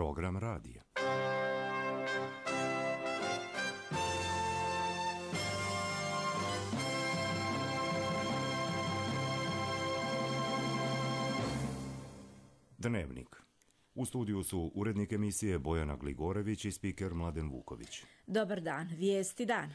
Program radija. Dnevnik. U studiju su urednik emisije Bojana Gligorević i spiker Mladen Vuković. Dobar dan, vijesti dana.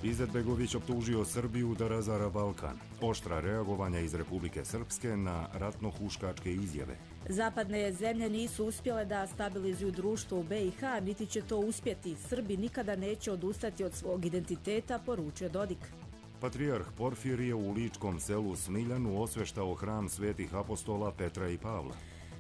Izetbegović optužio Srbiju da razara Balkan. Oštra reagovanja iz Republike Srpske na ratno-huškačke izjave. Zapadne zemlje nisu uspjele da stabilizuju društvo u BiH, niti će to uspjeti. Srbi nikada neće odustati od svog identiteta, poručio Dodik. Patrijarh Porfirije u ličkom selu Smiljanu osveštao hram svetih apostola Petra i Pavla.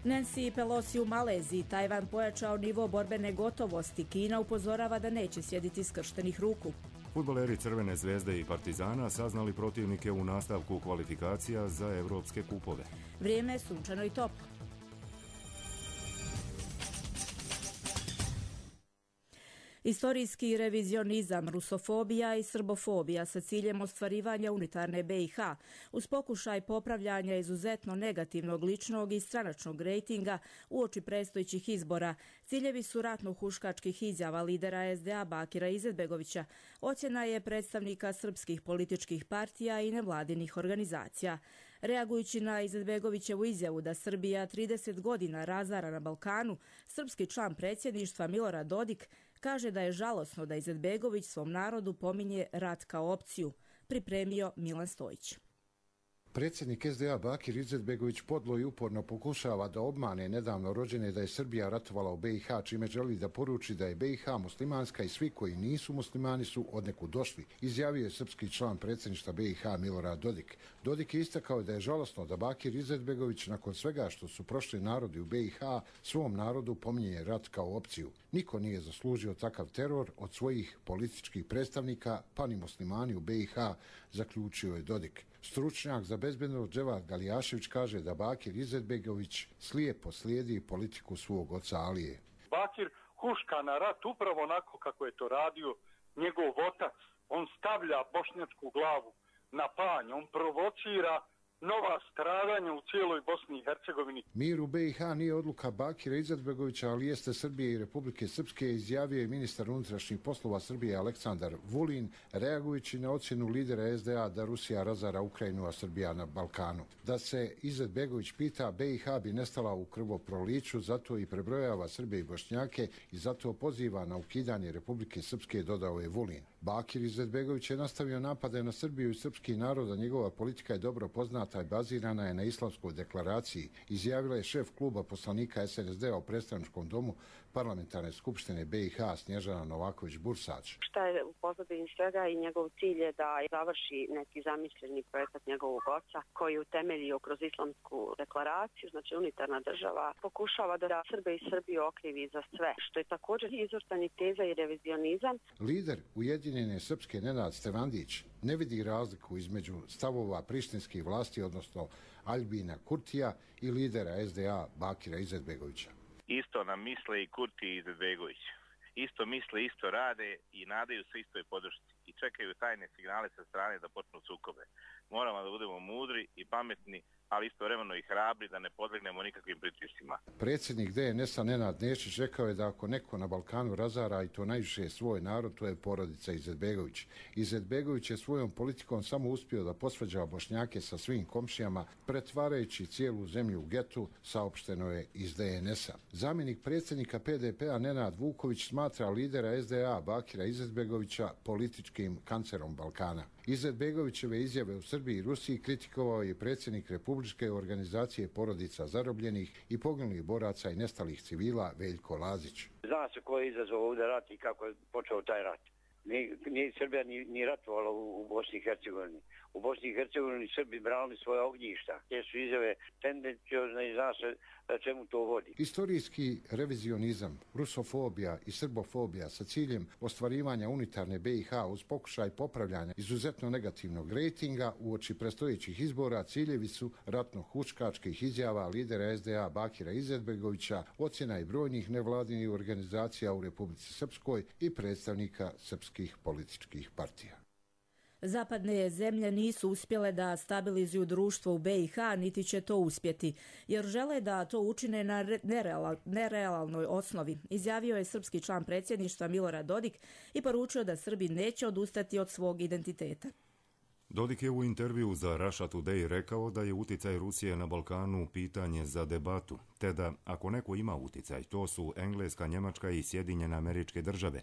Nancy Pelosi u Maleziji, Tajvan pojačao nivo borbene gotovosti, Kina upozorava da neće sjediti skrštenih ruku. Fudbaleri Crvene zvezde i Partizana saznali protivnike u nastavku kvalifikacija za evropske kupove. Vrijeme je sunčano i toplo. Istorijski revizionizam, rusofobija i srbofobija sa ciljem ostvarivanja unitarne BiH uz pokušaj popravljanja izuzetno negativnog ličnog i stranačnog rejtinga uoči predstojećih izbora. Ciljevi su ratno-huškačkih izjava lidera SDA Bakira Izetbegovića, ocjena je predstavnika srpskih političkih partija i nevladinih organizacija. Reagujući na Izetbegovićevu izjavu da Srbija 30 godina razara na Balkanu, srpski član predsjedništva Milorad Dodik kaže da je žalosno da Izetbegović svom narodu pominje rat kao opciju, pripremio Milan Stojić. Predsjednik SDA Bakir Izetbegović podlo i uporno pokušava da obmane nedavno rođene da je Srbija ratovala u BiH, čime želi da poruči da je BiH muslimanska i svi koji nisu muslimani su odnekud došli, izjavio je srpski član predsjedništva BiH Milorad Dodik. Dodik je istakao da je žalosno da Bakir Izetbegović nakon svega što su prošli narodi u BiH svom narodu pominje rat kao opciju. Niko nije zaslužio takav teror od svojih političkih predstavnika, pa ni muslimani u BiH, zaključio je Dodik. Stručnjak za bezbednost Dževat Galijašević kaže da Bakir Izetbegović slijepo slijedi politiku svog oca Alije. Bakir huška na rat upravo onako kako je to radio njegov otac. On stavlja bošnjačku glavu na panj, on provocira nova stradanja u cijeloj Bosni i Hercegovini. Mir u BiH nije odluka Bakira Izetbegovića, ali jeste Srbije i Republike Srpske, izjavio je ministar unutrašnjih poslova Srbije Aleksandar Vulin, reagujući na ocjenu lidera SDA da Rusija razara Ukrajinu, a Srbija na Balkanu. Da se Izetbegović pita, BiH bi nestala u krvoproliću, zato i prebrojava Srbe i Bošnjake i zato poziva na ukidanje Republike Srpske, dodao je Vulin. Bakir Izetbegović je nastavio napade na Srbiju i srpski narod, a njegova politika je dobro poznata i bazirana je na Islamskoj deklaraciji, izjavila je šef kluba poslanika SNSD-a u predstavničkom domu Parlamentarne skupštine BiH Snježana Novaković-Bursač. Šta je u pozadini svega i njegov cilj je da završi neki zamišljeni projekat njegovog oca koji je utemeljio kroz Islamsku deklaraciju, znači unitarna država, pokušava da Srbe i Srbiju okrivi za sve, što je također izvrtanje teza i revizionizam. Lider Ujedinjene Srpske Nenad Stevandić ne vidi razliku između stavova prištinskih vlasti, odnosno Aljbina Kurtija i lidera SDA Bakira Izetbegovića. Isto nam misle i Kurti i Izetbegović. Isto misle, isto rade i nadaju se istoj podršci i čekaju tajne signale sa strane da počnu sukobe. Moramo da budemo mudri i pametni, ali istovremeno i hrabri da ne podlegnemo nikakvim pritiscima. Predsjednik DNS-a Nenad Nešić rekao je da ako neko na Balkanu razara i to najviše svoj narod, to je porodica Izetbegović. Izetbegović je svojom politikom samo uspio da posvađa Bošnjake sa svim komšijama, pretvarajući cijelu zemlju u getu, saopšteno je iz DNS-a. Zamjenik predsjednika PDP-a Nenad Vuković smatra lidera SDA Bakira Izetbegovića političkim kancerom Balkana. Izetbegovićeve izjave u Srbiji i Rusiji kritikovao je predsjednik Republičke organizacije porodica zarobljenih i poginulih boraca i nestalih civila Veljko Lazić. Zna se ko je izazvao ovdje rat i kako je počeo taj rat. Nije Srbija ni ratovala u Bosni i Hercegovini. U Bosni i Hercegovini Srbi branili svoje ognjišta. Te su izjave tendenciozne i zna se čemu to vodi. Istorijski revizionizam, rusofobija i srbofobija sa ciljem ostvarivanja unitarne BiH uz pokušaj popravljanja izuzetno negativnog rejtinga uoči predstojećih izbora ciljevi su ratno-huškačkih izjava lidera SDA Bakira Izetbegovića, ocjena i brojnih nevladinih organizacija u Republici Srpskoj i predstavnika srpskih političkih partija. Zapadne zemlje nisu uspjele da stabilizuju društvo u BiH, niti će to uspjeti, jer žele da to učine na nerealnoj osnovi, izjavio je srpski član predsjedništva Milorad Dodik i poručio da Srbi neće odustati od svog identiteta. Dodik je u intervju za Russia Today rekao da je uticaj Rusije na Balkanu pitanje za debatu, te da ako neko ima uticaj, to su Engleska, Njemačka i Sjedinjene Američke Države,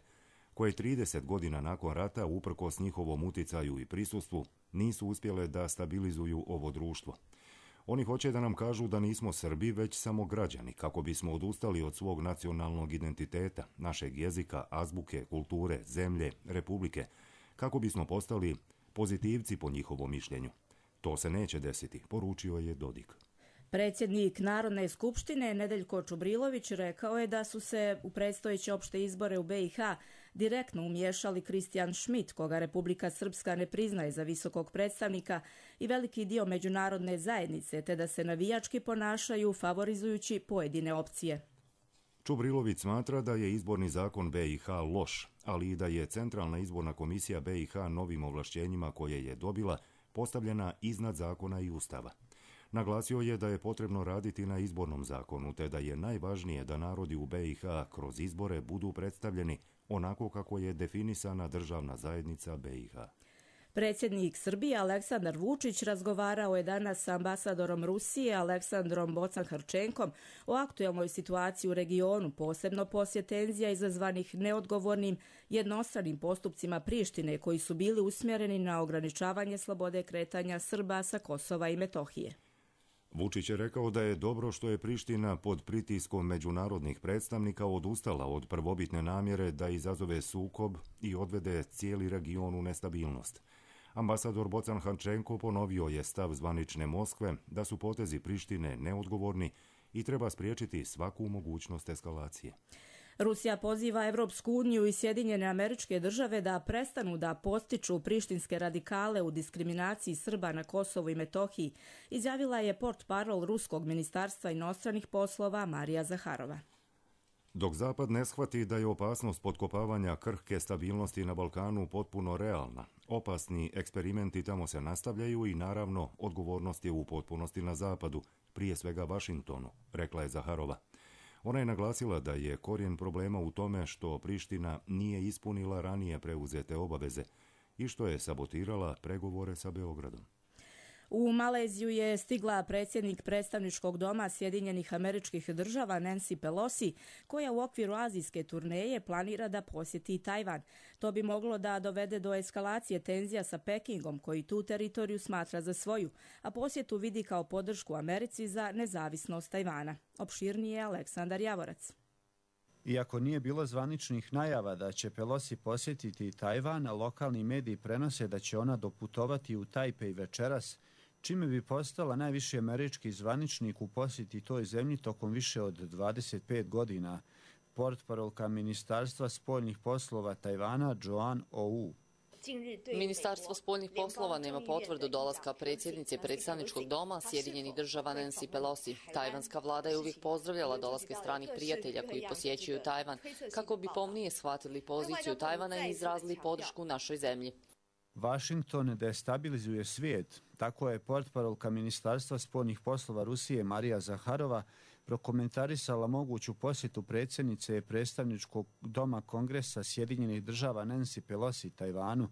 koje 30 godina nakon rata, uprkos njihovom uticaju i prisustvu, nisu uspjele da stabilizuju ovo društvo. Oni hoće da nam kažu da nismo Srbi, već samo građani, kako bismo odustali od svog nacionalnog identiteta, našeg jezika, azbuke, kulture, zemlje, republike, kako bismo postali pozitivci po njihovom mišljenju. To se neće desiti, poručio je Dodik. Predsjednik Narodne skupštine Nedeljko Čubrilović rekao je da su se u predstojeće opšte izbore u BiH direktno umiješali Kristijan Schmidt, koga Republika Srpska ne priznaje za visokog predstavnika, i veliki dio međunarodne zajednice, te da se navijački ponašaju favorizujući pojedine opcije. Čubrilović smatra da je izborni zakon BiH loš, ali i da je Centralna izborna komisija BiH novim ovlašćenjima koje je dobila postavljena iznad zakona i ustava. Naglasio je da je potrebno raditi na izbornom zakonu, te da je najvažnije da narodi u BiH kroz izbore budu predstavljeni onako kako je definisana državna zajednica BiH. Predsjednik Srbije Aleksandar Vučić razgovarao je danas sa ambasadorom Rusije Aleksandrom Bocan-Hrčenkom o aktuelnoj situaciji u regionu, posebno poslije tenzija izazvanih neodgovornim jednostranim postupcima Prištine koji su bili usmjereni na ograničavanje slobode kretanja Srba sa Kosova i Metohije. Vučić je rekao da je dobro što je Priština pod pritiskom međunarodnih predstavnika odustala od prvobitne namjere da izazove sukob i odvede cijeli region u nestabilnost. Ambasador Bocan-Hrčenko ponovio je stav zvanične Moskve da su potezi Prištine neodgovorni i treba spriječiti svaku mogućnost eskalacije. Rusija poziva Evropsku uniju i Sjedinjene Američke Države da prestanu da podstiču prištinske radikale u diskriminaciji Srba na Kosovu i Metohiji, izjavila je portparol Ruskog ministarstva inostranih poslova Marija Zaharova. Dok Zapad ne shvati da je opasnost potkopavanja krhke stabilnosti na Balkanu potpuno realna, opasni eksperimenti tamo se nastavljaju i naravno odgovornost je u potpunosti na Zapadu, prije svega Vašingtonu, rekla je Zaharova. Ona je naglasila da je korijen problema u tome što Priština nije ispunila ranije preuzete obaveze i što je sabotirala pregovore sa Beogradom. U Maleziju je stigla predsjednik predstavničkog doma Sjedinjenih Američkih Država Nancy Pelosi, koja u okviru azijske turneje planira da posjeti Tajvan. To bi moglo da dovede do eskalacije tenzija sa Pekingom, koji tu teritoriju smatra za svoju, a posjetu vidi kao podršku Americi za nezavisnost Tajvana. Opširnije Aleksandar Javorac. Iako nije bilo zvaničnih najava da će Pelosi posjetiti Tajvan, lokalni mediji prenose da će ona doputovati u Tajpej večeras, čime bi postala najviši američki zvaničnik u posjeti toj zemlji tokom više od 25 godina, portparolka Ministarstva spoljnih poslova Tajvana Joan Ou. Ministarstvo spoljnih poslova nema potvrdu dolaska predsjednice predstavničkog doma Sjedinjenih Država Nancy Pelosi. Tajvanska vlada je uvijek pozdravljala dolaske stranih prijatelja koji posjećuju Tajvan, kako bi pomnije shvatili poziciju Tajvana i izrazili podršku našoj zemlji. Vašington destabilizuje svijet, tako je portparolka Ministarstva spoljnih poslova Rusije Marija Zaharova prokomentarisala moguću posjetu predsjednice predstavničkog doma Kongresa Sjedinjenih Država Nancy Pelosi Tajvanu.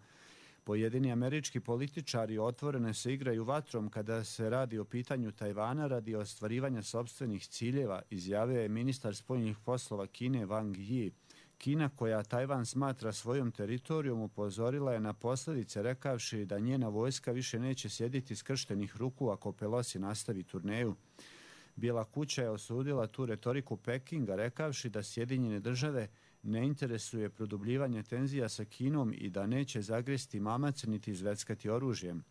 Pojedini američki političari otvoreno se igraju vatrom kada se radi o pitanju Tajvana radi ostvarivanja sopstvenih ciljeva, izjavio je ministar spoljnih poslova Kine Wang Yi. Kina, koja Tajvan smatra svojom teritorijom, upozorila je na posljedice rekavši da njena vojska više neće sjediti skrštenih ruku ako Pelosi nastavi turneju. Bijela kuća je osudila tu retoriku Pekinga rekavši da Sjedinjene Države ne interesuje produbljivanje tenzija sa Kinom i da neće zagresti mamac niti izveckati oružjem.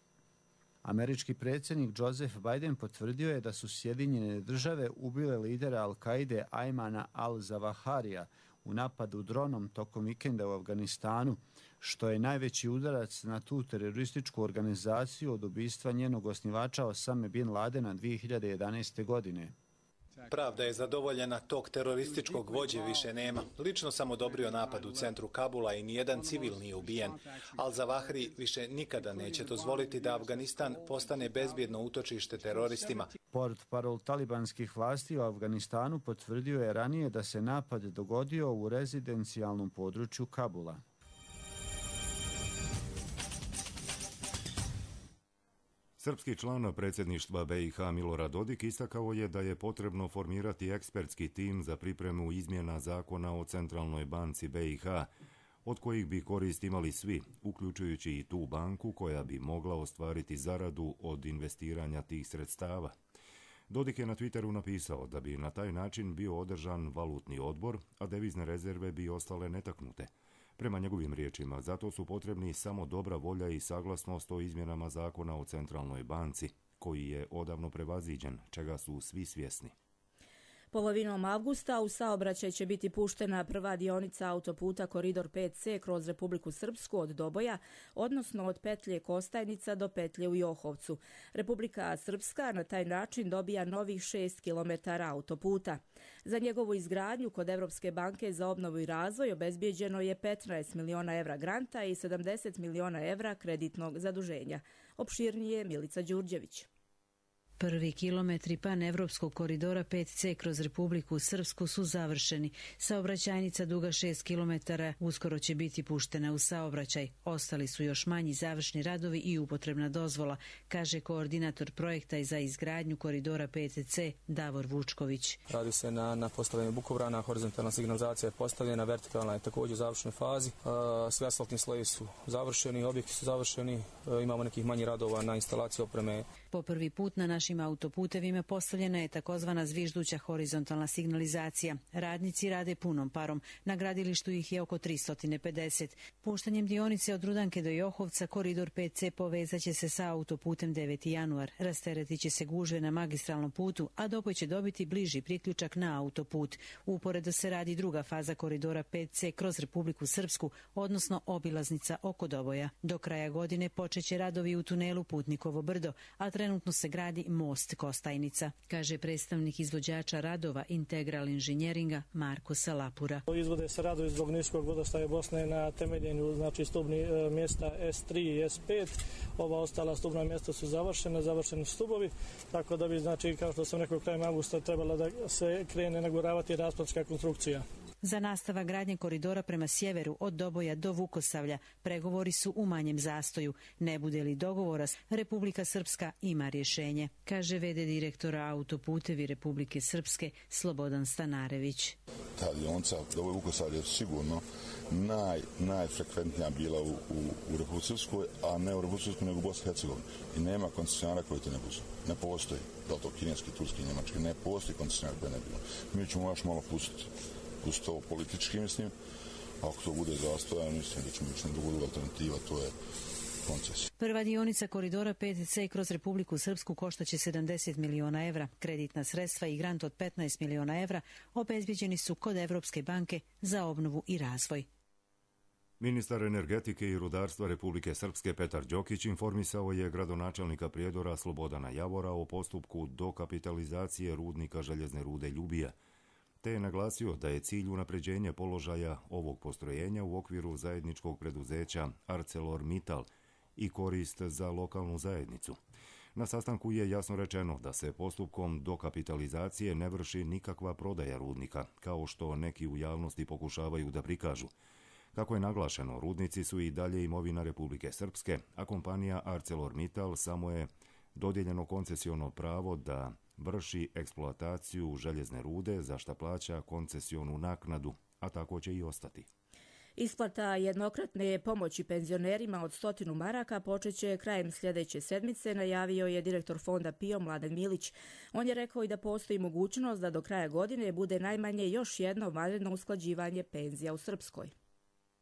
Američki predsjednik Joseph Biden potvrdio je da su Sjedinjene Države ubile lidera Al-Kaide Ajmana al-Zawaharija u napadu dronom tokom vikenda u Afganistanu, što je najveći udarac na tu terorističku organizaciju od ubistva njenog osnivača Osame bin Ladena 2011. godine. Pravda je zadovoljena, tog terorističkog vođe više nema. Lično sam odobrio napad u centru Kabula i nijedan civil nije ubijen. Al-Zawahri više nikada neće dozvoliti da Afganistan postane bezbjedno utočište teroristima. Portparol talibanskih vlasti u Afganistanu potvrdio je ranije da se napad dogodio u rezidencijalnom području Kabula. Srpski član predsjedništva BiH Milorad Dodik istakao je da je potrebno formirati ekspertski tim za pripremu izmjena zakona o Centralnoj banci BiH, od kojih bi korist imali svi, uključujući i tu banku koja bi mogla ostvariti zaradu od investiranja tih sredstava. Dodik je na Twitteru napisao da bi na taj način bio održan valutni odbor, a devizne rezerve bi ostale netaknute. Prema njegovim riječima, zato su potrebni samo dobra volja i saglasnost o izmjenama zakona o Centralnoj banci, koji je odavno prevaziđen, čega su svi svjesni. Polovinom avgusta u saobraćaj će biti puštena prva dionica autoputa Koridor 5C kroz Republiku Srpsku od Doboja, odnosno od petlje Kostajnica do petlje u Johovcu. Republika Srpska na taj način dobija novih 6 km autoputa. Za njegovu izgradnju kod Evropske banke za obnovu i razvoj obezbijeđeno je 15 miliona evra granta i 70 miliona evra kreditnog zaduženja. Opširnije Milica Đurđević. Prvi kilometri panevropskog koridora 5C kroz Republiku Srpsku su završeni. Saobraćajnica duga 6 km uskoro će biti puštena u saobraćaj. Ostali su još manji završni radovi i upotrebna dozvola, kaže koordinator projekta za izgradnju koridora 5C Davor Vučković. Radi se na postavljanju bukovrana, horizontalna signalizacija je postavljena, vertikalna je također u završnoj fazi. Sve asfaltni slojevi su završeni, objekti su završeni, imamo nekih manjih radova na instalaciji opreme. Po prvi put na našim autoputevima postavljena je takozvana zvižduća horizontalna signalizacija. Radnici rade punom parom. Na gradilištu ih je oko 350. Puštanjem dionice od Rudanke do Johovca koridor 5C povezat će se sa autoputem 9. januar. Rasteretit će se gužve na magistralnom putu, a Doboj će dobiti bliži priključak na autoput. Uporedo se radi druga faza koridora 5C kroz Republiku Srpsku, odnosno obilaznica oko Doboja. Do kraja godine počeće radovi u tunelu Putnikovo brdo, a trenutno se gradi most Kostajnica, kaže predstavnik izvođača radova Integral inženjeringa Marko Salapura. Izvode se radovi zbog niskog vodostaja Bosne na temeljenju stubni mjesta S3 i S5. Ova ostala stubna mjesta su završeni stubovi, tako da bi, kao što sam rekao, krajem avgusta trebala da se krene naguravati raspadska konstrukcija. Za nastavak gradnje koridora prema sjeveru od Doboja do Vukosavlja pregovori su u manjem zastoju. Ne bude li dogovora, Republika Srpska ima rješenje, kaže v.d. direktora autoputevi Republike Srpske Slobodan Stanarević. Ta dionica Doboj Vukosavlje je sigurno najfrekventnija bila u Republike Srpskoj, a ne u Republike Srpskoj nego u Bosni i Hercegovini. I nema koncesionara koji to ne budu. Ne postoji. Da li to kineski, turski, njemački, ne postoji koncesionar koji ne bilo. Mi ćemo još malo pustiti. Uz to politički, mislim, ako to bude zastojan, mislim da ćemo ići na drugu alternativa, to je koncesija. Prva dionica koridora 5C kroz Republiku Srpsku koštaće 70 miliona evra. Kreditna sredstva i grant od 15 miliona evra obezbijeđeni su kod Evropske banke za obnovu i razvoj. Ministar energetike i rudarstva Republike Srpske Petar Đokić informisao je gradonačelnika Prijedora Slobodana Javora o postupku dokapitalizacije rudnika željezne rude Ljubija, te je naglasio da je cilj unapređenja položaja ovog postrojenja u okviru zajedničkog preduzeća ArcelorMittal i korist za lokalnu zajednicu. Na sastanku je jasno rečeno da se postupkom dokapitalizacije ne vrši nikakva prodaja rudnika, kao što neki u javnosti pokušavaju da prikažu. Kako je naglašeno, rudnici su i dalje imovina Republike Srpske, a kompanija ArcelorMittal samo je dodijeljeno koncesiono pravo da vrši eksploataciju željezne rude, za šta plaća koncesionu naknadu, a tako će i ostati. Isplata jednokratne pomoći penzionerima od 100 maraka počeće krajem sljedeće sedmice, najavio je direktor fonda PIO Mladen Milić. On je rekao i da postoji mogućnost da do kraja godine bude najmanje još jedno vanredno usklađivanje penzija u Srpskoj.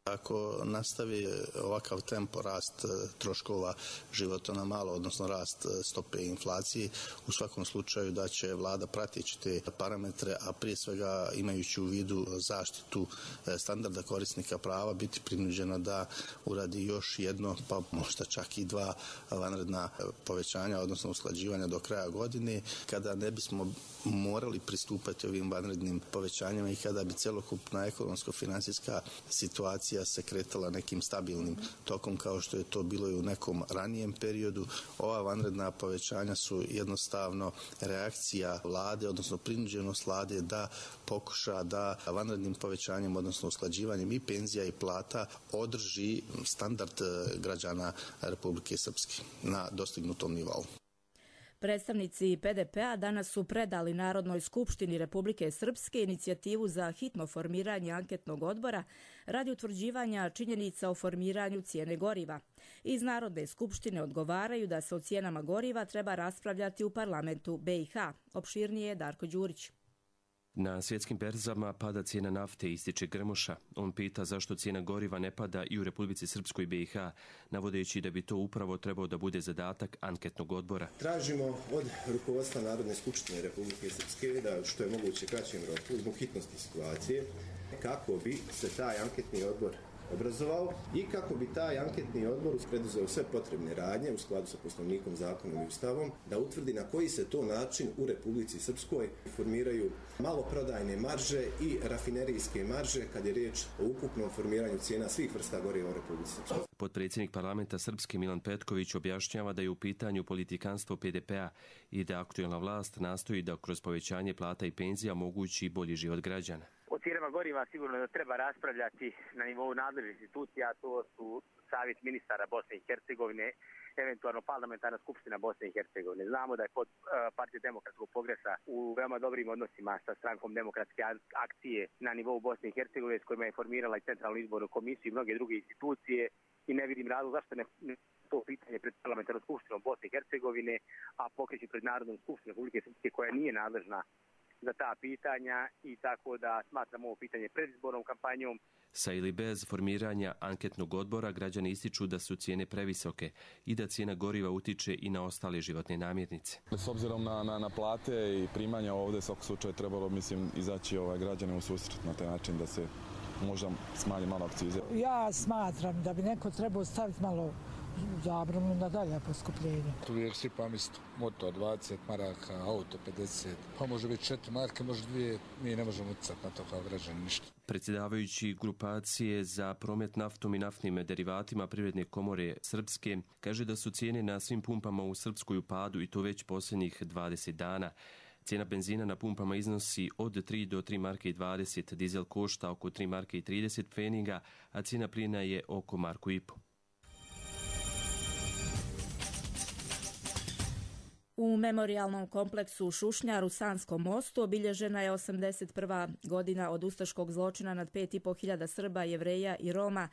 Ako nastavi ovakav tempo rast troškova života na malo, odnosno rast stope inflacije, u svakom slučaju da će vlada prateći te parametre, a prije svega imajući u vidu zaštitu standarda korisnika prava, biti prinuđena da uradi još jedno, pa možda čak i 2 vanredna povećanja, odnosno usklađivanja do kraja godine, kada ne bismo morali pristupati ovim vanrednim povećanjima i kada bi celokupna ekonomsko-financijska situacija se kretala nekim stabilnim tokom kao što je to bilo i u nekom ranijem periodu. Ova vanredna povećanja su jednostavno reakcija vlade, odnosno prinuđenost vlade da pokuša da vanrednim povećanjem, odnosno usklađivanjem i penzija i plata održi standard građana Republike Srpske na dostignutom nivou. Predstavnici PDP-a danas su predali Narodnoj skupštini Republike Srpske inicijativu za hitno formiranje anketnog odbora radi utvrđivanja činjenica o formiranju cijene goriva. Iz Narodne skupštine odgovaraju da se o cijenama goriva treba raspravljati u parlamentu BiH. Opširnije Darko Đurić. Na svjetskim berzama pada cijena nafte, ističe Grmoša. On pita zašto cijena goriva ne pada i u Republici Srpskoj i BiH, navodeći da bi to upravo trebao da bude zadatak anketnog odbora. Tražimo od rukovodstva Narodne skupštine Republike Srpske da što je moguće kraćem roku, zbog hitnosti situacije, kako bi se taj anketni odbor obrazovao i kako bi taj anketni odbor preduzeo sve potrebne radnje u skladu sa Poslovnikom, zakonom i Ustavom, da utvrdi na koji se to način u Republici Srpskoj formiraju maloprodajne marže i rafinerijske marže kad je riječ o ukupnom formiranju cijena svih vrsta goriva u Republici Srpskoj. Potpredsjednik parlamenta Srpske Milan Petković objašnjava da je u pitanju politikanstvo PDP-a i da aktuelna vlast nastoji da kroz povećanje plata i penzija omogući bolji život građana. O cijenama goriva sigurno da treba raspravljati na nivou nadležnih institucija, to su Savjet ministara Bosne i Hercegovine, eventualno parlamentarna skupština Bosne i Hercegovine. Znamo da je pod Partija demokratskog progresa u veoma dobrim odnosima sa strankom demokratske akcije na nivou Bosne i Hercegovine, s kojima je formirala i Centralnu izbornu komisiju i mnoge druge institucije, i ne vidim razlog zašto ne to pitanje pred parlamentarnom skupštinom Bosne i Hercegovine, a pokreći pred Narodnom skupštinom Republike Srpske koja nije nadležna za ta pitanja, i tako da smatram ovo pitanje predizbornom kampanjom. Sa ili bez formiranja anketnog odbora građani ističu da su cijene previsoke i da cijena goriva utiče i na ostale životne namirnice. S obzirom na plate i primanja ovdje, svakog slučaja trebalo, izaći građane u susret na taj način da se možda smanji malo akcize. Ja smatram da bi neko trebao staviti malo zabranu na dalje poskupljenje. Uvijek svi isto. Motor 20 maraka, auto 50, pa može biti 4 marke, može 2, mi ne možemo utjecati na to kao građani ništa. Predsjedavajući grupacije za promet naftom i naftnim derivatima Privredne komore Srpske kaže da su cijene na svim pumpama u Srpskoj u padu i to već posljednjih 20 dana. Cijena benzina na pumpama iznosi od 3 do 3 marke i 20, dizel košta oko 3 marke i 30 pfeniga, a cijena plina je oko 1,5 marku. U memorijalnom kompleksu Šušnjar u Sanskom mostu obilježena je 81. godina od ustaškog zločina nad 5.500 Srba, Jevreja i Roma.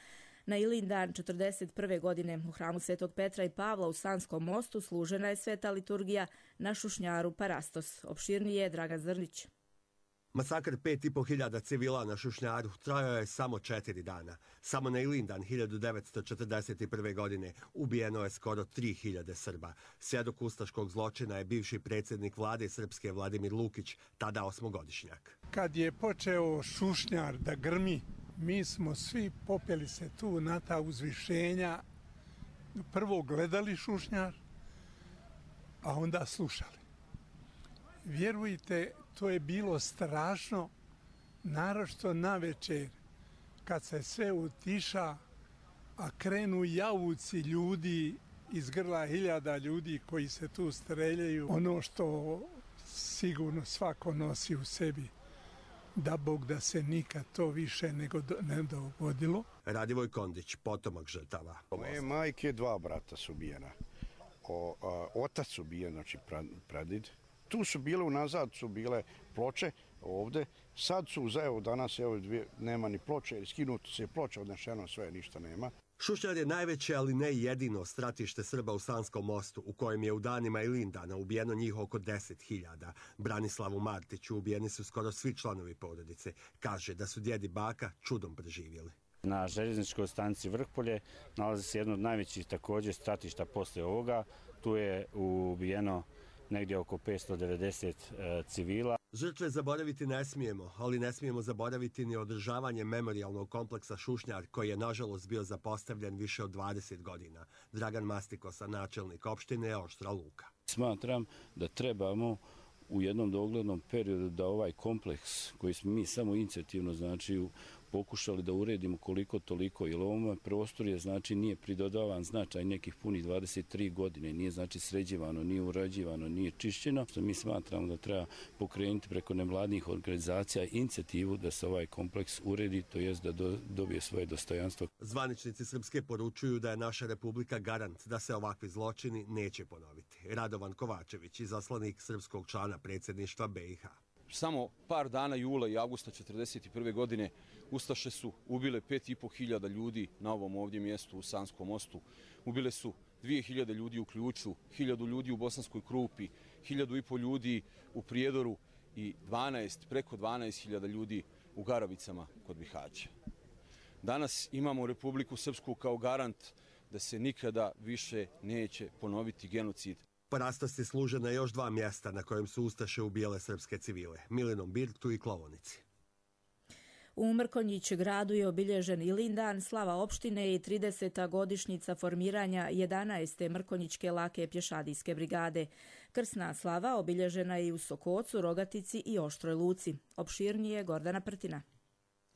Na Ilindan 41. godine u hramu Svetog Petra i Pavla u Sanskom mostu služena je sveta liturgija na Šušnjaru Parastos. Opširnije Dragan Zrnić. Masakr 5.500 civila na Šušnjaru trajao je samo 4 dana. Samo na Ilindan 1941. godine ubijeno je skoro 3.000 Srba. Svjedok ustaškog zločina je bivši predsjednik vlade Srpske Vladimir Lukić, tada 8-godišnjak. Kad je počeo Šušnjar da grmi, mi smo svi popeli se tu na ta uzvišenja. Prvo gledali Šušnjar, a onda slušali. Vjerujte, to je bilo strašno, naročito na večer, kad se sve utiša, a krenu jauci ljudi iz grla 1000 ljudi koji se tu streljaju. Ono što sigurno svako nosi u sebi, da Bog da se nikad to više ne dogodilo. Radivoj Kondić, potomak žrtava. Moje majke 2 brata su ubijena. Otac ubijen, znači pradid. Tu su bile, unazad su bile ploče ovdje. Sad su, evo danas, nema ni ploče, jer skinuto se ploče, odnešeno sve, ništa nema. Šušnjar je najveće, ali ne jedino stratište Srba u Sanskom mostu, u kojem je u danima Ilindana ubijeno njih oko 10.000. Branislavu Martiću ubijeni su skoro svi članovi porodice. Kaže da su djed i baka čudom preživjeli. Na željezničkoj stanici Vrhpolje nalazi se jedno od najvećih također stratišta poslije ovoga. Tu je ubijeno negdje oko 590 civila. Žrtve zaboraviti ne smijemo, ali ne smijemo zaboraviti ni održavanje memorijalnog kompleksa Šušnjar, koji je nažalost bio zapostavljen više od 20 godina. Dragan Mastikosa, načelnik opštine Oštra Luka. Smatram da trebamo u jednom doglednom periodu da ovaj kompleks koji smo mi samo inicijativno pokušali da uredimo koliko toliko, jer ovom prostor je nije pridodavan značaj nekih punih 23 godine, nije sređivano, nije urađivano, nije čišćeno, što mi smatramo da treba pokrenuti preko nevladnih organizacija inicijativu da se ovaj kompleks uredi, to jest da dobije svoje dostojanstvo. Zvaničnici Srpske poručuju da je naša republika garant da se ovakvi zločini neće ponoviti. Radovan Kovačević, izaslanik srpskog člana predsjedništva BiH. Samo par dana jula i avgusta 1941. godine Ustaše su ubile 5.500 ljudi na ovom ovdje mjestu u Sanskom mostu. Ubile su 2.000 ljudi u Ključu, 1.000 ljudi u Bosanskoj Krupi, 1.500 ljudi u Prijedoru i preko 12.000 ljudi u Garavicama kod Bihaća. Danas imamo Republiku Srpsku kao garant da se nikada više neće ponoviti genocid. Parastasi služe na još 2 mjesta na kojem su Ustaše ubijale srpske civile, Milinom Birtu i Klovonici. U Mrkonjić gradu je obilježen Ilindan, slava opštine i 30. godišnjica formiranja 11. Mrkonjićke lake pješadijske brigade. Krsna slava obilježena je i u Sokocu, Rogatici i Oštroj Luci. Opširnije Gordana Prtina.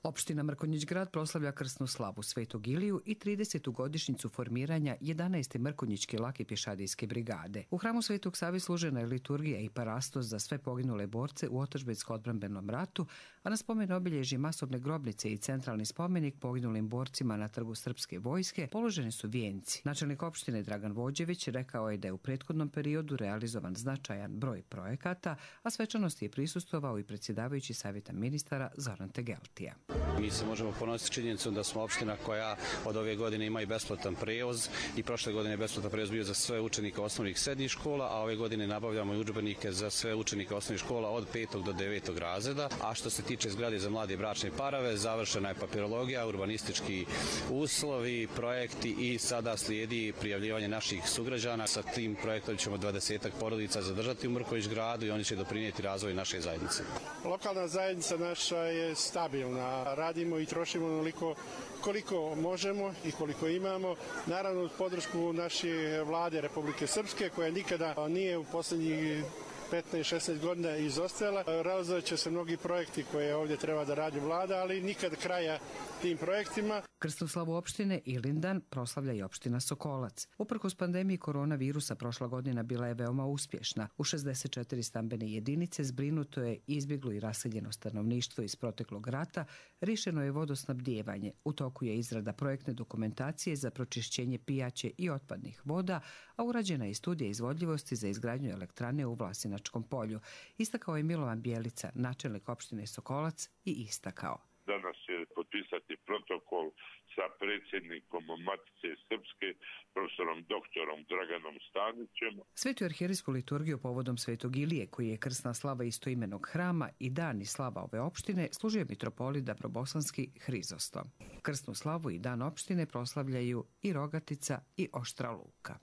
Opština Mrkonjić grad proslavlja krsnu slavu Svetog Iliju i 30. godišnjicu formiranja 11. Mrkonjićke lake pješadijske brigade. U hramu Svetog Save služena je liturgija i parastos za sve poginule borce u otadžbinsko-odbrambenom ratu, a na spomen obilježi masovne grobnice i centralni spomenik poginulim borcima na trgu Srpske vojske položeni su vijenci. Načelnik opštine Dragan Vođević rekao je da je u prethodnom periodu realizovan značajan broj projekata, a svečanosti je prisustvovao i predsjedavajući savjeta ministara Zoran Tegeltija. Mi se možemo ponositi činjenicom da smo opština koja od ove godine ima i besplatan prevoz i prošle godine je besplatan prevoz bio za sve učenike osnovnih srednjih škola, a ove godine nabavljamo i udžbenike za sve učenike osnovnih škola od 5. do 9. razreda. A što se tiče zgrade za mlade bračne parave, završena je papirologija, urbanistički uslovi, projekti i sada slijedi prijavljivanje naših sugrađana. Sa tim projektom ćemo 20 porodica zadržati u Mrkonjić gradu i oni će doprinijeti razvoju naše zajednice. Lokalna zajednica naša je stabilna. Radimo i trošimo onoliko koliko možemo i koliko imamo. Naravno, uz podršku naše vlade Republike Srpske, koja nikada nije u posljednjih 15-16 godina izostajala. Realizovat će se mnogi projekti koje ovdje treba da radi vlada, ali nikad kraja tim projektima. Krsnu slavu opštine Ilindan proslavlja i opština Sokolac. Uprkos pandemiji koronavirusa prošla godina bila je veoma uspješna. U 64 stambene jedinice zbrinuto je izbjeglo i raseljeno stanovništvo iz proteklog rata, rješeno je vodosnabdijevanje. U toku je izrada projektne dokumentacije za pročišćenje pijaće i otpadnih voda, a urađena je studija izvodljivosti za izgradnju elektrane u Vlasinačkom polju. Istakao je Milovan Bjelica, načelnik opštine Sokolac, i istakao: danas će potpisati protokol sa predsjednikom Matice Srpske, profesorom doktorom Draganom Stanićem. Svetu arhijerijsku liturgiju povodom Svetog Ilije, koji je krsna slava istoimenog hrama i dan i slava ove opštine, služio mitropolit Dabrobosanski Hrizostom. Krsnu slavu i dan opštine proslavljaju i Rogatica i Oštra Luka.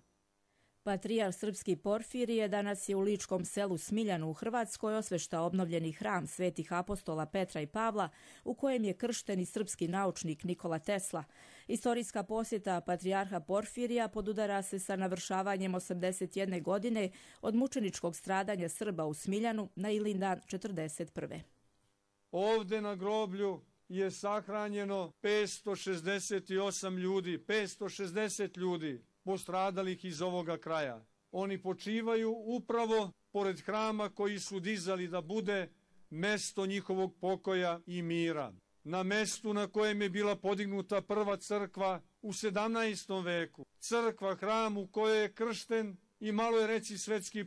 Patrijarh srpski Porfirije danas je u ličkom selu Smiljanu u Hrvatskoj osveštao obnovljeni hram svetih apostola Petra i Pavla, u kojem je kršten i srpski naučnik Nikola Tesla. Istorijska posjeta patrijarha Porfirija podudara se sa navršavanjem 81 godine od mučeničkog stradanja Srba u Smiljanu na Ilindan 41. Ovde na groblju je sahranjeno 568 ljudi, 560 ljudi postradalih iz ovoga kraja. Oni počivaju upravo pored hrama koji su dizali da bude mesto njihovog pokoja i mira. Na mestu na kojem je bila podignuta prva crkva u 17. veku. Crkva, hram u kojoj je kršten i malo je reći svetski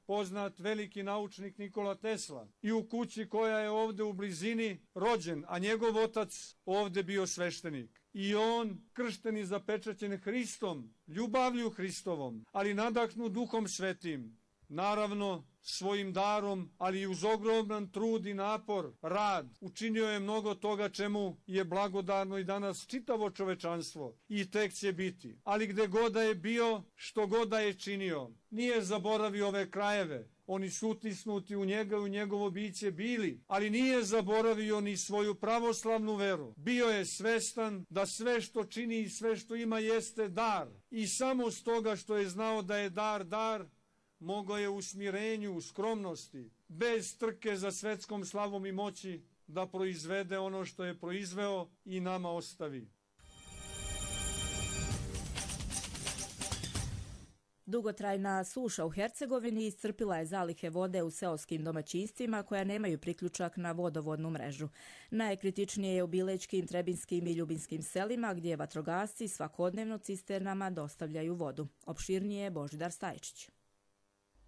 poznat veliki naučnik Nikola Tesla. I u kući koja je ovde u blizini rođen, a njegov otac ovde bio sveštenik. I on, kršten i zapečaćen Hristom, ljubavlju Hristovom, ali nadahnut Duhom Svetim, naravno svojim darom, ali i uz ogroman trud i napor, rad, učinio je mnogo toga čemu je blagodarno i danas čitavo čovečanstvo i tek će biti. Ali gde god da je bio, što god da je činio, nije zaboravio ove krajeve. Oni su utisnuti u njega i u njegovo biće bili, ali nije zaboravio ni svoju pravoslavnu veru. Bio je svestan da sve što čini i sve što ima jeste dar. I samo stoga što je znao da je dar, mogao je u smirenju, u skromnosti, bez trke za svetskom slavom i moći, da proizvede ono što je proizveo i nama ostavi. Dugotrajna suša u Hercegovini iscrpila je zalihe vode u seoskim domaćinstvima koja nemaju priključak na vodovodnu mrežu. Najkritičnije je u Bilećkim, Trebinskim i Ljubinskim selima gdje vatrogasci svakodnevno cisternama dostavljaju vodu. Opširnije je Božidar Stajčić.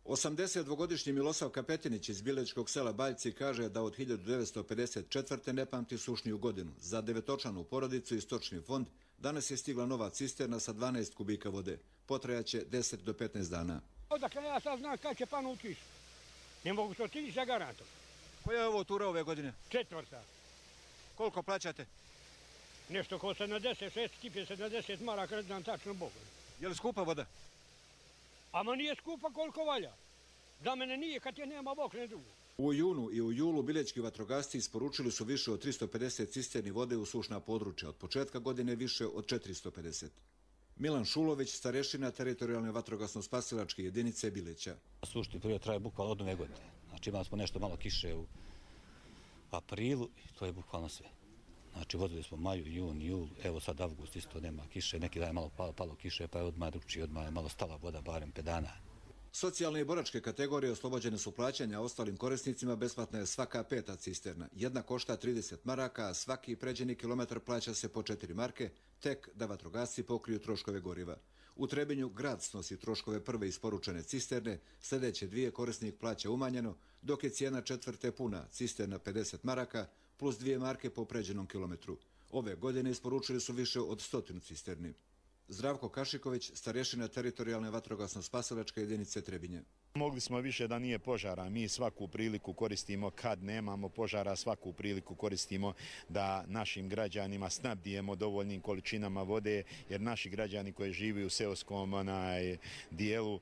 82-godišnji Milosav Kapetinić iz Bilečkog sela Baljci kaže da od 1954. ne pamti sušniju godinu. Za devetočlanu porodicu i stočni fond danas je stigla nova cisterna sa 12 kubika vode. Potrajaće 10 do 15 dana. Odakle ja sad znam kad će panu kiš. Ne mogu to ti za garantom. Koja je ovo tura ove godine? 4. Koliko plaćate? Nešto ko 76, kip je 70 maraka, ne znam tačno Bogu. Je li skupa voda? Ama nije skupa koliko valja. Da mene nije kad je nema Bog, ne drugo. U junu i u julu bilećki vatrogasci isporučili su više od 350 cisterni vode u sušna područja. Od početka godine više od 450. Milan Šulović, starešina teritorijalne vatrogasno-spasilačke jedinice Bileća. Sušni period traje bukvalno od nove godine. Znači imali smo nešto malo kiše u aprilu i to je bukvalno sve. Znači vodili smo maju, jun, jul, evo sad avgust isto nema kiše, neki dan je malo palo kiše pa je odmah drugčije, odmah je malo stala voda barem 5 dana. Socijalne i boračke kategorije oslobođene su plaćanja, ostalim korisnicima besplatna je svaka 5. cisterna. Jedna košta 30 maraka, a svaki pređeni kilometar plaća se po 4 marke, tek da vatrogasci pokriju troškove goriva. U Trebinju grad snosi troškove prve isporučene cisterne, sljedeće 2 korisnik plaća umanjeno, dok je cijena 4. puna, cisterna 50 maraka, plus 2 marke po pređenom kilometru. Ove godine isporučili su više od 100 cisterni. Zdravko Kašiković, starešina teritorijalne vatrogasno-spasilačke jedinice Trebinje. Mogli smo više da nije požara. Mi svaku priliku koristimo kad nemamo požara, svaku priliku koristimo da našim građanima snabdijemo dovoljnim količinama vode, jer naši građani koji žive u seoskom dijelu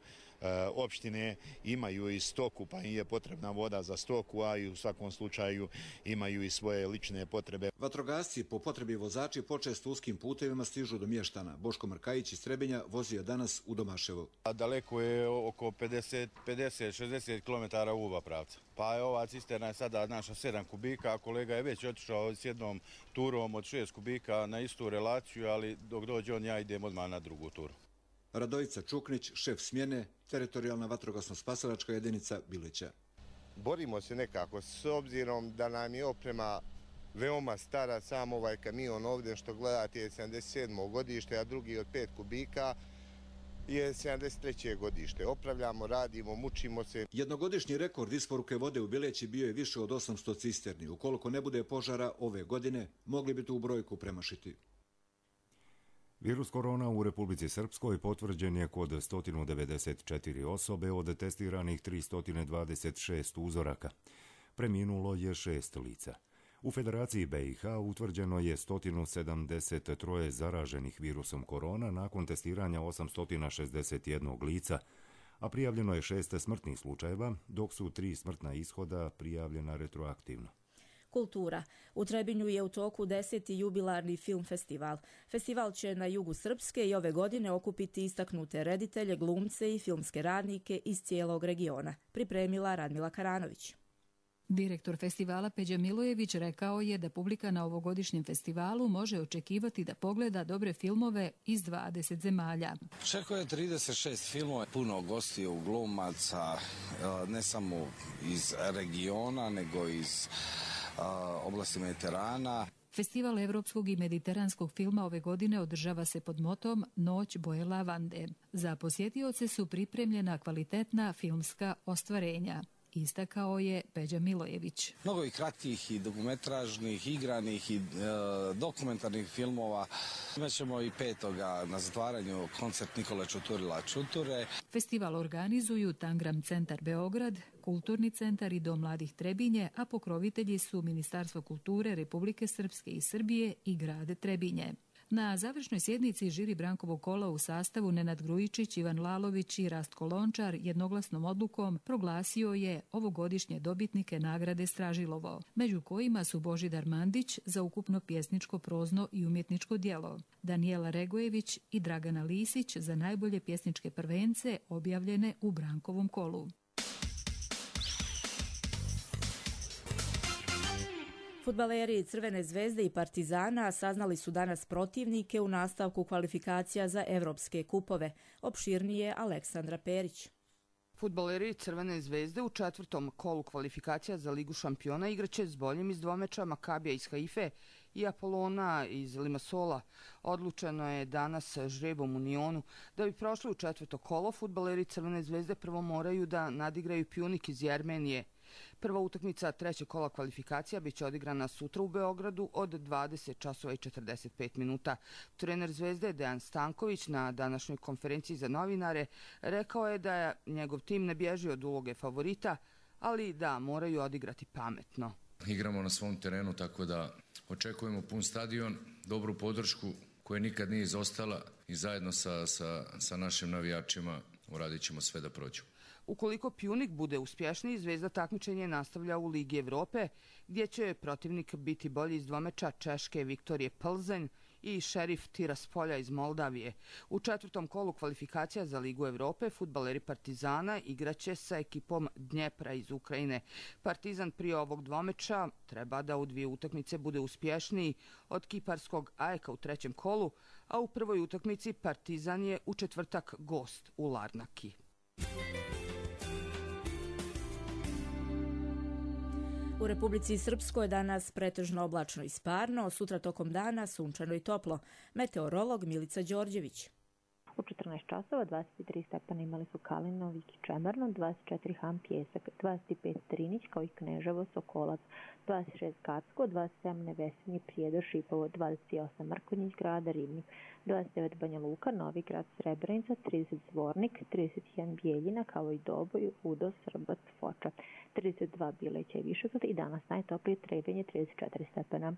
opštine imaju i stoku, pa im je potrebna voda za stoku, a i u svakom slučaju imaju i svoje lične potrebe. Vatrogasci po potrebi vozači počesto uskim putevima stižu do mještana. Boško Mrkajić iz Trebinja vozio danas u Domaševo. Daleko je oko 50-60 km u oba pravca. Pa je ova cisterna je sada naša 7 kubika, a kolega je već otišao s jednom turom od 6 kubika na istu relaciju, ali dok dođe on ja idem odmah na drugu turu. Radojica Čuknić, šef smjene, teritorijalna vatrogasno-spasilačka jedinica Bileća. Borimo se nekako, s obzirom da nam je oprema veoma stara, sam ovaj kamion ovdje što gledate je 77. godište, a drugi od 5 kubika je 73. godište. Opravljamo, radimo, mučimo se. Jednogodišnji rekord isporuke vode u Bileći bio je više od 800 cisterni. Ukoliko ne bude požara ove godine, mogli bi tu brojku premašiti. Virus korona u Republici Srpskoj potvrđen je kod 194 osobe od testiranih 326 uzoraka. Preminulo je 6 lica. U Federaciji BiH utvrđeno je 173 zaraženih virusom korona nakon testiranja 861 lica, a prijavljeno je 6 smrtnih slučajeva, dok su 3 smrtna ishoda prijavljena retroaktivno. Kultura. U Trebinju je u toku 10. jubilarni film festival. Festival će na jugu Srpske i ove godine okupiti istaknute reditelje, glumce i filmske radnike iz cijelog regiona. Pripremila Radmila Karanović. Direktor festivala Peđa Milojević rekao je da publika na ovogodišnjem festivalu može očekivati da pogleda dobre filmove iz 20 zemalja. Čekuje 36 filmova, puno gostiju, glumaca, ne samo iz regiona, nego iz oblasti Mediterana. Festival evropskog i mediteranskog filma ove godine održava se pod motom Noć boje lavande. Za posjetioce su pripremljena kvalitetna filmska ostvarenja. istakao je Peđa Milojević. Mnogo i kratkih i dokumentražnih, igranih i dokumentarnih filmova. Imaćemo i 5. na zatvaranju koncert Nikole Čuturila Čuture. Festival organizuju Tangram centar Beograd, Kulturni centar i Dom mladih Trebinje, a pokrovitelji su Ministarstvo kulture Republike Srpske i Srbije i grad Trebinje. Na završnoj sjednici žiri Brankovog kola u sastavu Nenad Grujičić, Ivan Lalović i Rastko Lončar jednoglasnom odlukom proglasio je ovogodišnje dobitnike nagrade Stražilovo, među kojima su Božidar Mandić za ukupno pjesničko, prozno i umjetničko djelo, Danijela Regojević i Dragana Lisić za najbolje pjesničke prvence objavljene u Brankovom kolu. Fudbaleri Crvene zvezde i Partizana saznali su danas protivnike u nastavku kvalifikacija za evropske kupove. Opširnije Aleksandra Perić. Fudbaleri Crvene zvezde u 4. kolu kvalifikacija za Ligu šampiona igraće s boljim iz dvomeča Makabija iz Haife i Apolona iz Limassola. Odlučeno je danas žrebom u Nionu. Da bi prošli u 4. kolo, fudbaleri Crvene zvezde prvo moraju da nadigraju Pjunik iz Jermenije. Prva utakmica 3. kola kvalifikacija biće odigrana sutra u Beogradu od 20 časova i 45 minuta. Trener Zvezde Dejan Stanković na današnjoj konferenciji za novinare rekao je da je njegov tim ne bježi od uloge favorita, ali da moraju odigrati pametno. Igramo na svom terenu, tako da očekujemo pun stadion, dobru podršku koja nikad nije izostala i zajedno sa našim navijačima uradit ćemo sve da prođu. Ukoliko Pjunik bude uspješniji, Zvezda takmičenje nastavlja u Ligi Evrope, gdje će protivnik biti bolji iz dvomeča Češke Viktorije Plzeň i Šerif Tiraspolja iz Moldavije. U 4. kolu kvalifikacija za Ligu Evrope fudbaleri Partizana igraće sa ekipom Dnjepra iz Ukrajine. Partizan prije ovog dvomeča treba da u 2 utakmice bude uspješniji od kiparskog AEK u 3. kolu, a u prvoj utakmici Partizan je u četvrtak gost u Larnaki. U Republici Srpskoj danas pretežno oblačno i sparno, sutra tokom dana sunčano i toplo. Meteorolog Milica Đorđević. U 14 časova 23 stepana imali su Kalino, Viki, Čemerno, 24 Ham, Pjesak, 25 Trinić kao i Kneževo, Sokolac, 26 Kacko, 27 Nevesinje, Prijedor, Šipovo, 28 Mrkonjić grada, Ribnik, 29 Banja Luka, Novi grad, Srebrenica, 30 Zvornik, 31 Bijeljina kao i Doboj, Udo, Srbac, Foča, 32 Bileća i Višegrad i danas najtoplije Trebinje 34 stepena.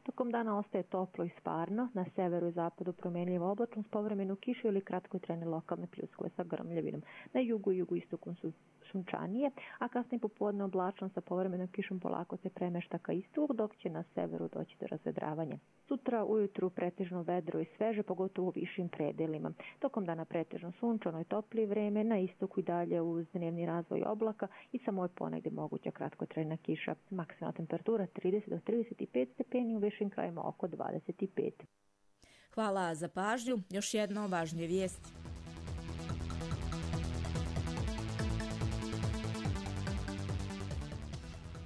Tokom dana ostaje toplo i sparno, na severu i zapadu promjenljivo oblačno s povremenu kišu ili kratkotrajne lokalne pljuskove sa grmljavinom. Na jugu i jugoistoku su sunčanije, a kasnije popodne oblačno sa povremenom kišom polako se premešta ka istoku, dok će na severu doći do razvedravanja. Sutra ujutru pretežno vedro i sveže, pogotovo u višim predelima. Tokom dana pretežno sunčano i toplije vreme, na istoku i dalje uz dnevni razvoj oblaka i samo je ponegdje moguća kratkotrajna kiša. Maksimalna temperatura 30 do 35 stepeni, u višim krajima oko 25. Hvala za pažnju. Još jedno važnije vijesti.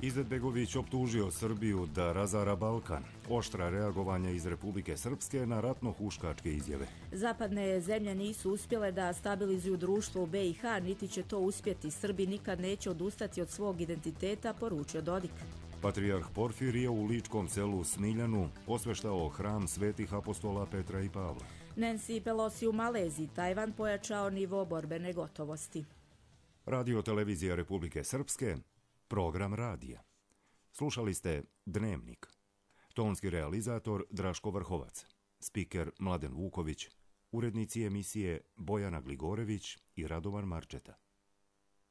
Izetbegović optužio Srbiju da razara Balkan. Oštra reagovanja iz Republike Srpske na ratno-huškačke izjave. Zapadne zemlje nisu uspjele da stabilizuju društvo u BiH, niti će to uspjeti. Srbi nikad neće odustati od svog identiteta, poručio Dodik. Patrijarh Porfirije u ličkom selu Smiljanu osveštao hram svetih apostola Petra i Pavla. Nancy Pelosi u Maleziji, Tajvan pojačao nivo borbene gotovosti. Radio televizija Republike Srpske, program radija. Slušali ste Dnevnik. Tonski realizator Draško Vrhovac. Spiker Mladen Vuković. Urednici emisije Bojana Gligorević i Radovan Marčeta.